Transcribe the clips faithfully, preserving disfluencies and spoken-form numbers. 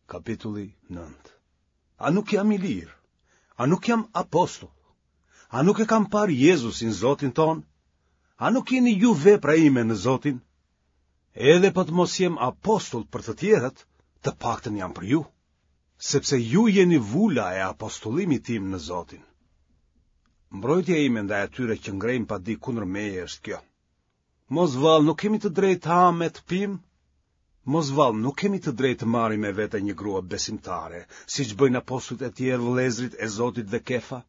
Kapitulli nëntë. A nuk jam i lirë? A nuk jam apostull? A nuk e kam parë Jezusin Zotin tonë? A nuk jeni ju vepra ime në Zotin? Edhe po të mos jem apostull për të tjerët, të paktën jam për ju, sepse ju jeni vula e apostullimit tim në Zotin. Mbrojtja ime ndaj atyre që ngrejnë padi kundër meje është kjo. Mos vallë nuk kemi të drejtë të hamë e të pimë? Mos vallë nuk kemi të drejtë të marrim me vete një grua besimtare, siç bëjnë apostujt e tjerë vëllezërit e Zotit dhe Kefa?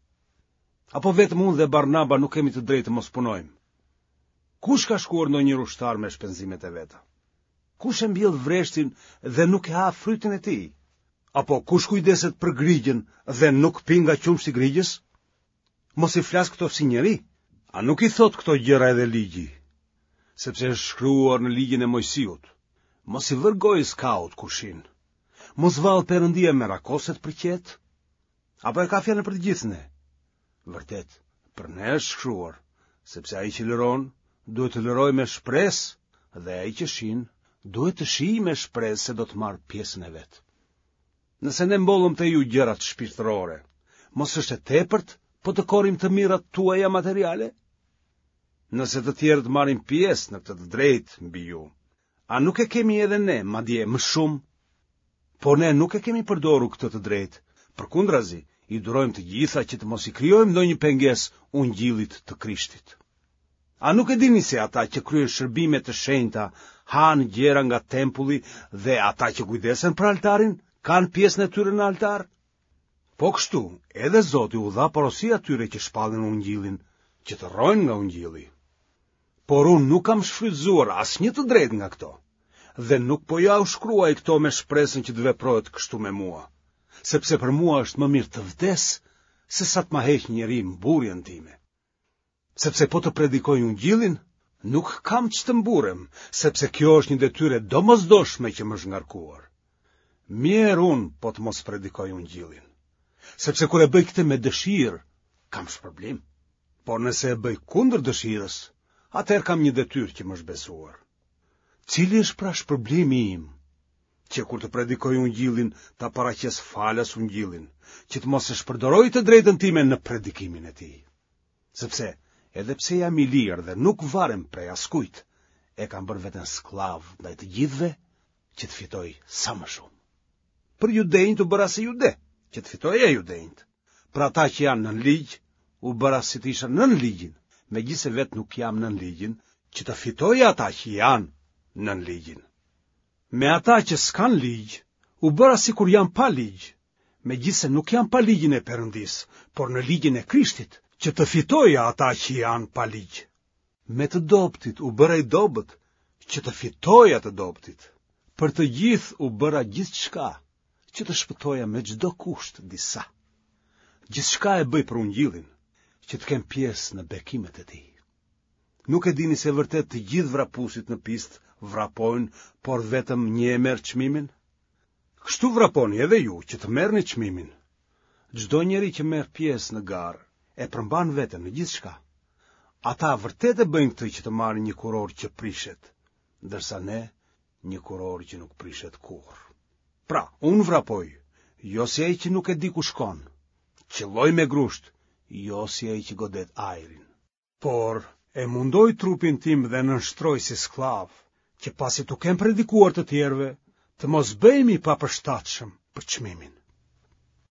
Apo vetëm unë dhe Barnaba nuk kemi të drejtë të mos punojmë? Kush ka shkuar ndonjëherë ushtar me shpenzimet e veta? Kush e mbjell vreshtin dhe nuk e ha frytin e tij? Apo kush kujdeset për grigjën dhe nuk pi nga qumështi i grigjës? Mos i flas këto si njeri? A nuk i thotë këto gjëra edhe ligji? Sepse është shkruar në ligjin e Moisiut. Mos i vër gojës kaut kur shin. Mos vallë Perëndia merakoset për qetë? Apo e ka fjalën për të gjithë ne? Vërtet, për ne është shkruar, sepse ai që lëron, duhet të lërojë me shpresë dhe ai që shin, duhet të shijë me shpresë se do të marrë pjesën e vet. Nëse ne mbollëm te ju gjërat shpirtërore, mos është e tepërt po të korrim të mirat tuaja materiale? Nëse të tjerët marrin pjesë në këtë të drejtë mbi ju, a nuk e kemi edhe ne, madje më shumë? Por ne nuk e kemi përdorur këtë të drejtë, përkundrazi, i durojmë të gjitha që të mos i krijojmë ndonjë pengesë ungjillit të Krishtit. A nuk e dini se ata që kryejnë shërbime të shenjta hanë gjëra nga tempulli dhe ata që kujdesen për altarin kanë pjesën e tyre në altar? Po kështu, edhe Zoti u dha porosi atyre që shpallin ungjillin, që të rrojnë nga ungjilli. Por unë nuk kam shfrytëzuar asnjë të drejtë nga këto, dhe nuk po jua shkruaj këto me shpresën që të veprohet kështu me mua, sepse për mua është më mirë të vdes se sa të ma heqë njeri mburrjen time. Sepse po të predikoj ungjillin, nuk kam ç'të mburrem, sepse kjo është një detyrë e domosdoshme që më është ngarkuar. Mjerë unë po të mos predikoj ungjillin, sepse kur e bëj këtë me dëshirë, kam shpërblim. Por nëse e bëj kundër dëshirës, atëherë kam një detyrë që më është besuar. Cili është pra shpërblimi im? Që kur të predikoj ungjillin, ta paraqes falas ungjillin, që të mos e shpërdoroj të drejtën time në predikimin e tij. Sepse, edhe pse jam i lirë dhe nuk varem prej askujt, e kam bërë veten skllav ndaj të gjithëve që të fitoj sa më shumë. Për judenjtë u bëra si jude, që të fitoja judenjtë. Për ata që janë nën ligj, u bëra si të isha nën ligjin, megjithëse vetë nuk jam nën ligjin, që të fitoja ata që janë nën ligjin. Me ata që s'kanë ligj, u bëra sikur jam pa ligj, megjithëse nuk jam pa ligjin e Perëndisë, por në ligjin e Krishtit, që të fitoja ata që janë pa ligj. Me të dobëtit u bëra i dobët, që të fitoja të dobëtit. Për të gjithë u bëra gjithçka, që të shpëtoja me çdo kusht disa. Gjithçka e bëj për ungjillin, që të kem pjesë në bekimet e tij. Nuk e dini se vërtet të gjithë vrapuesit në pistë vrapojnë, por vetëm një e merr çmimin? Kështu vraponi edhe ju që të merrni çmimin. Çdo njeri që merr pjesë në garë e përmban veten në gjithçka. Ata vërtet e bëjnë këtë që të marrin një kurorë që prishet, ndërsa ne një kurorë që nuk prishet kurrë. Pra, unë vrapoj, jo si ai që nuk e di ku shkon. Qëlloj me grusht, jo si ai që godet ajrin. Por e mundoj trupin tim dhe nënshtroj si skllav, që pasi t'u kem predikuar të tjerëve, të mos bëhem i papërshtatshëm për çmimin.